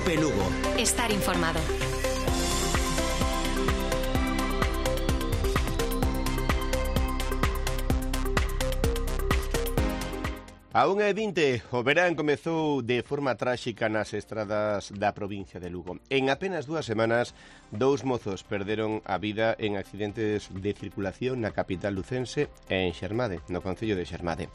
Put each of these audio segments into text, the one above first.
COPE Lugo. Estar informado. A 1:20, o verán comezou de forma tráxica nas estradas da provincia de Lugo. En apenas 2 semanas, 2 mozos perderon a vida en accidentes de circulación na capital lucense e en Xermade, no concello de Xermade.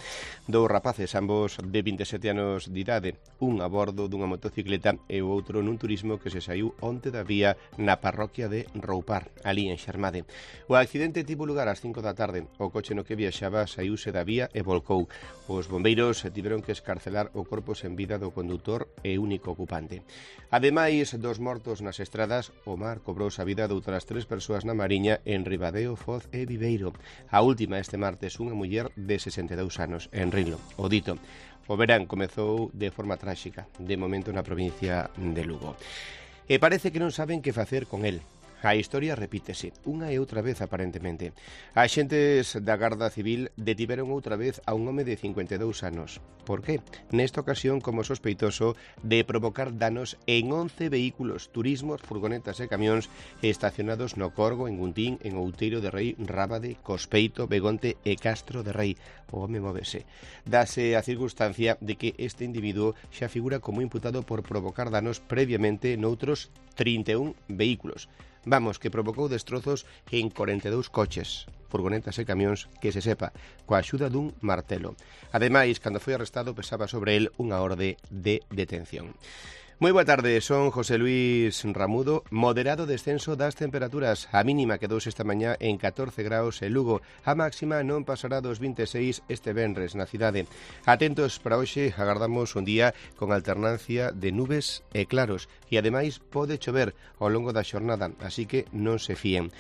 2 rapaces, ambos de 27 anos de idade, un a bordo dunha motocicleta e o outro nun turismo que se saiu onte da vía na parroquia de Roupar, ali en Xermade. O accidente tivo lugar ás 5 da tarde. O coche no que viaxaba saiuse da vía e volcou. Os bombeiros tiveron que escarcelar o corpo sen vida do condutor e único ocupante. Ademais dos mortos nas estradas, o mar cobrou a vida de outras 3 persoas na Mariña en Ribadeo, Foz e Viveiro. A última este martes, unha muller de 62 anos en Rilo. O dito, o verán comezou de forma tráxica, de momento na provincia de Lugo. E parece que non saben que facer con el. A historia repítese, unha e outra vez aparentemente. Axentes da Garda Civil detiveron outra vez a un home de 52 anos. Por qué? Nesta ocasión como sospeitoso de provocar danos en 11 vehículos, turismos, furgonetas e camións estacionados no Corgo, en Guntín, en Outeiro de Rei, Rábade, Cospeito, Begonte e Castro de Rei. O home móvese. Dase a circunstancia de que este individuo xa figura como imputado por provocar danos previamente noutros 31 vehículos. Vamos, que provocou destrozos en 42 coches, furgonetas e camións, que se sepa, coa axuda dun martelo. Ademais, cando foi arrestado, pesaba sobre el unha orde de detención. Moi boa tarde, son José Luis Ramudo. Moderado descenso das temperaturas. A mínima quedouse esta mañá en 14 graus en Lugo. A máxima non pasará dos 26 este venres na cidade. Atentos para hoxe, agardamos un día con alternancia de nubes e claros. E ademais pode chover ao longo da xornada, así que non se fíen.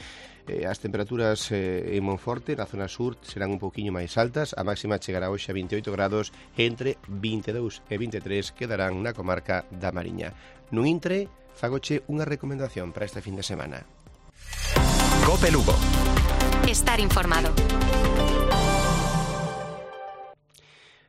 As temperaturas en Monforte, na zona sur, serán un pouquiño máis altas. A máxima chegará hoxe a 28 grados, entre 22 e 23 quedarán na comarca da Mariña. Nun intre, fagoche unha recomendación para este fin de semana. COPE Lugo. Estar informado.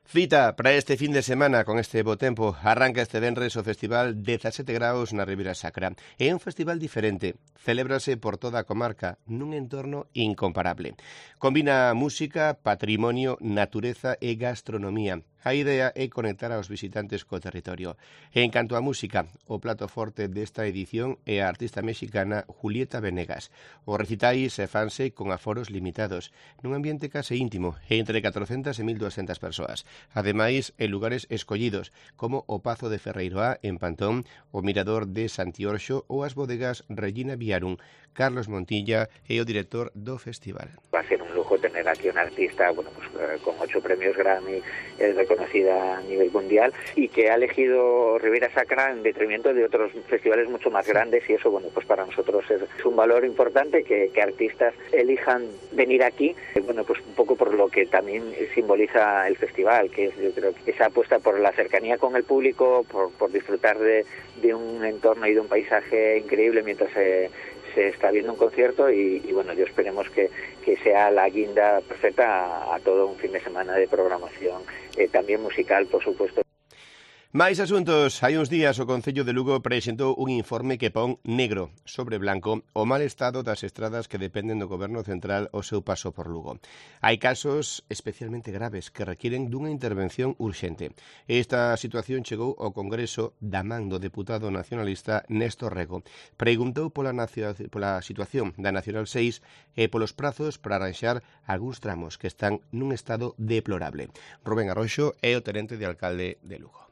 Cita para este fin de semana con este bo tempo. Arranca este venres o festival 17 graus na Ribeira Sacra. É un festival diferente. Celébrase por toda a comarca nun entorno incomparable. Combina música, patrimonio, natureza e gastronomía. A idea é conectar aos visitantes co territorio. En canto á música, o plato forte desta edición é a artista mexicana Julieta Venegas. Os recitais fanse con aforos limitados, nun ambiente case íntimo, entre 400 e 1.200 persoas. Ademais, en lugares escollidos, como o Pazo de Ferreiroá, en Pantón, o Mirador de Santiorxo ou as bodegas Regina Viarum. Carlos Montilla é o director do festival. Va a ser un lujo tener aquí una artista con 8 premios Grammy, es reconocida a nivel mundial y que ha elegido Ribeira Sacra en detrimento de otros festivales mucho más grandes, y eso pues para nosotros es un valor importante que artistas elijan venir aquí, pues un poco por lo que también simboliza el festival, que es, yo creo que esa apuesta por la cercanía con el público, por disfrutar de un entorno y de un paisaje increíble mientras se está viendo un concierto y yo esperemos que sea la guinda perfecta a todo un fin de semana de programación, también musical, por supuesto. Máis asuntos. Hai uns días o Concello de Lugo presentou un informe que pon negro sobre blanco o mal estado das estradas que dependen do Goberno Central ao seu paso por Lugo. Hai casos especialmente graves que requieren dunha intervención urxente. Esta situación chegou ao Congreso da man do deputado nacionalista Néstor Rego. Preguntou pola situación da Nacional 6 e polos prazos para arranxar algúns tramos que están nun estado deplorable. Rubén Arroxo é o tenente de alcalde de Lugo.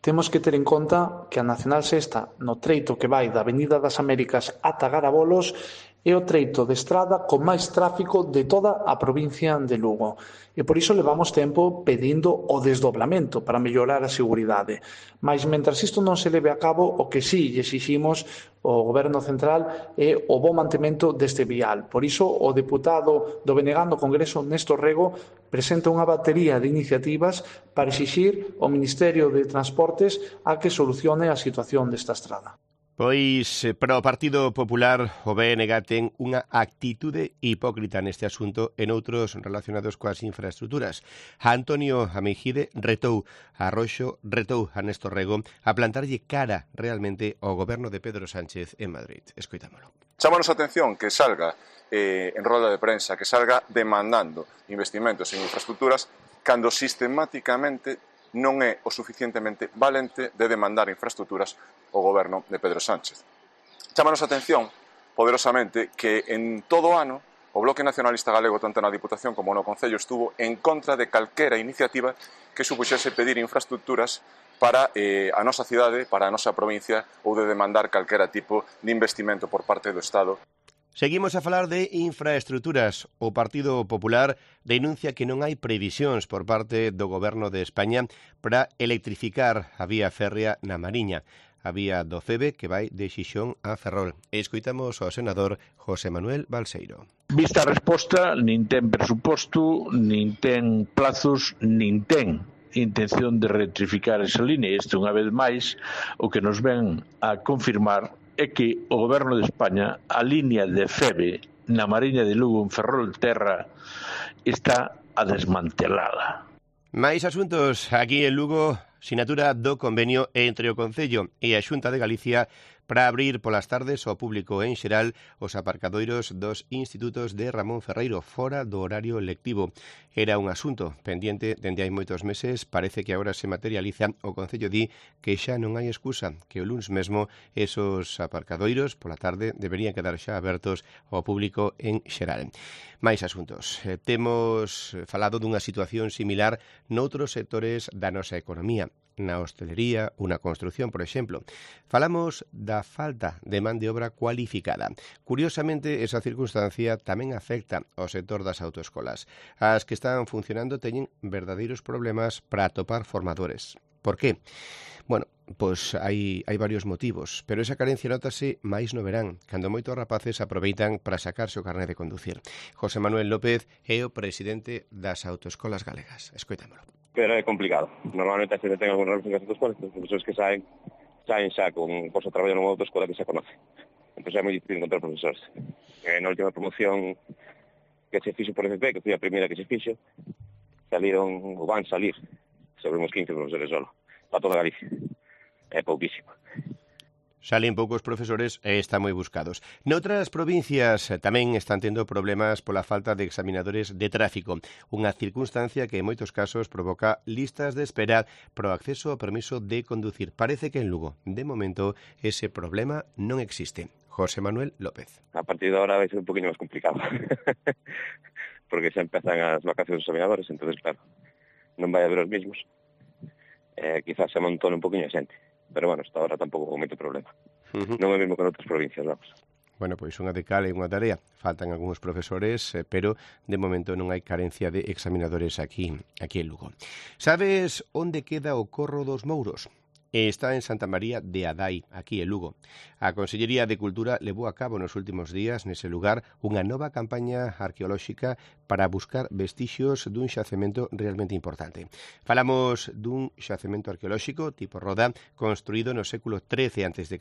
Temos que ter en conta que a Nacional 6, no treito que vai da Avenida das Américas ata Garabolos, é o treito de estrada con máis tráfico de toda a provincia de Lugo. E por iso levamos tempo pedindo o desdoblamento para mellorar a seguridade. Mas, mentras isto non se leve a cabo, o que sí exiximos ao Goberno Central é o bo mantemento deste vial. Por iso, o deputado do BNG no Congreso, Néstor Rego, presenta unha batería de iniciativas para exixir ao Ministerio de Transportes a que solucione a situación desta estrada. Pois, para o Partido Popular, o BNG ten unha actitude hipócrita neste asunto e noutros relacionados coas infraestructuras. Antonio Amejide retou a Roxo, retou a Néstor Rego a plantarlle cara realmente ao goberno de Pedro Sánchez en Madrid. Escoitámolo. Chámanos a atención que salga en roda de prensa, que salga demandando investimentos en infraestructuras cando sistemáticamente non é o suficientemente valente de demandar infraestructuras o goberno de Pedro Sánchez. Chámanos a atención, poderosamente, que en todo o ano o Bloque Nacionalista Galego, tanto na Diputación como no Concello, estuvo en contra de calquera iniciativa que supuxese pedir infraestructuras para a nosa cidade, para a nosa provincia, ou de demandar calquera tipo de investimento por parte do Estado. Seguimos a falar de infraestructuras. O Partido Popular denuncia que non hai previsións por parte do Goberno de España para electrificar a vía férrea na Mariña, a vía do Febe que vai de Xixón a Ferrol. E escoitamos ao senador José Manuel Balseiro. Vista a resposta, nin ten presuposto, nin ten plazos, nin ten intención de electrificar esa línea. Isto, unha vez máis, o que nos ven a confirmar é que o Goberno de España, a línea de Febe na Mariña de Lugo en Ferrol Terra, está a desmantelala. Mais asuntos aquí en Lugo, sinatura do convenio entre o Concello e a Xunta de Galicia para abrir polas tardes ao público en xeral os aparcadoiros dos institutos de Ramón Ferreiro fora do horario lectivo. Era un asunto pendiente dende hai moitos meses, parece que agora se materializa. O Concello di que xa non hai excusa, que o luns mesmo esos aparcadoiros pola tarde deberían quedar xa abertos ao público en xeral. Mais asuntos. Temos falado dunha situación similar noutros sectores da nosa economía, na hostelería ou na construción, por exemplo. Falamos da falta de man de obra cualificada. Curiosamente, esa circunstancia tamén afecta ao sector das autoescolas. As que están funcionando teñen verdadeiros problemas para atopar formadores. Por qué? Bueno, pois hai varios motivos, pero esa carencia notase máis no verán, cando moitos rapaces aproveitan para sacarse o carné de conducir. José Manuel López é o presidente das autoescolas galegas. Escoitámolo. Pero é complicado. Normalmente a xente ten algún relación con as autoescolas, os profesores que saen xa con posto a traballar nunha autoescola que xa conoce. Entón é moi difícil encontrar profesores. Na última promoción que se fixo por FP, que foi a primeira que se fixo, saliron, ou van salir, sobre uns 15 profesores solo, para toda Galicia. É pouquísimo. Salen poucos profesores e están moi buscados. Noutras provincias tamén están tendo problemas pola falta de examinadores de tráfico, unha circunstancia que en moitos casos provoca listas de espera para o acceso ao permiso de conducir. Parece que en Lugo, de momento, ese problema non existe. José Manuel López. A partir de ahora vai ser un poquinho máis complicado, porque xa empezan as vacacións dos examinadores, entonces, claro, non vai haber os mismos. Quizás se amontone un poquinho a xente. Pero, bueno, hasta ahora tampouco con moito problema. Non é mesmo que noutras provincias, vamos. Bueno, pois unha de cal e unha tarea. Faltan algúns profesores, pero de momento non hai carencia de examinadores aquí en Lugo. Sabes onde queda o Corro dos Mouros? Está en Santa María de Adai, aquí en Lugo. A Consellería de Cultura levou a cabo nos últimos días nese lugar unha nova campaña arqueolóxica para buscar vestixios dun xacemento realmente importante. Falamos dun xacemento arqueolóxico tipo roda construído no século XIII a.C.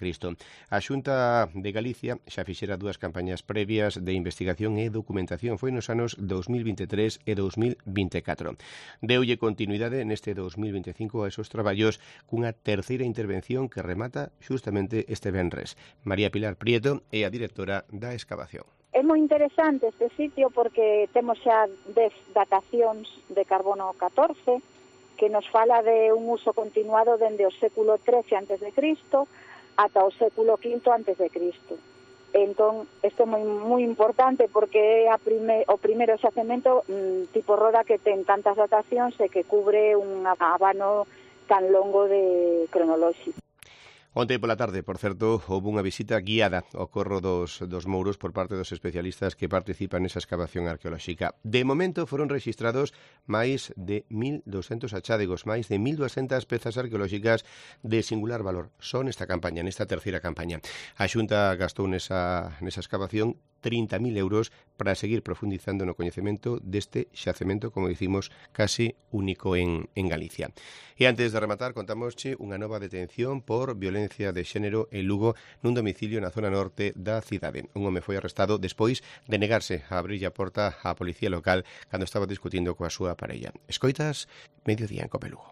A Xunta de Galicia xa fixera dúas campañas previas de investigación e documentación. Foi nos anos 2023 e 2024. Deulle continuidade neste 2025 a esos traballos cunha terceira intervención que remata xustamente este venres. María Pilar Prieto é a directora da excavación. É moi interesante este sitio porque temos xa 10 datacións de carbono 14 que nos fala de un uso continuado dende o século XIII a.C. ata o século V a.C. Entón, isto é moi importante porque é o primeiro xacemento tipo roda que ten tantas datacións e que cubre un abano tan longo de cronolóxico. Onte pola tarde, por certo, houve unha visita guiada ao Corro dos Mouros por parte dos especialistas que participan nesa excavación arqueolóxica. De momento foron rexistrados máis de 1.200 achádegos, máis de 1.200 pezas arqueolóxicas de singular valor. Son nesta campaña, nesta terceira campaña. A Xunta gastou nesa excavación 30.000 euros para seguir profundizando no coñecemento deste xacemento, como dicimos, casi único en Galicia. E antes de rematar, contamosche unha nova detención por violencia de xénero en Lugo nun domicilio na zona norte da cidade. Un home foi arrestado despois de negarse a abrir a porta á policía local cando estaba discutindo coa súa parella. Escoitas Mediodía en Cope Lugo.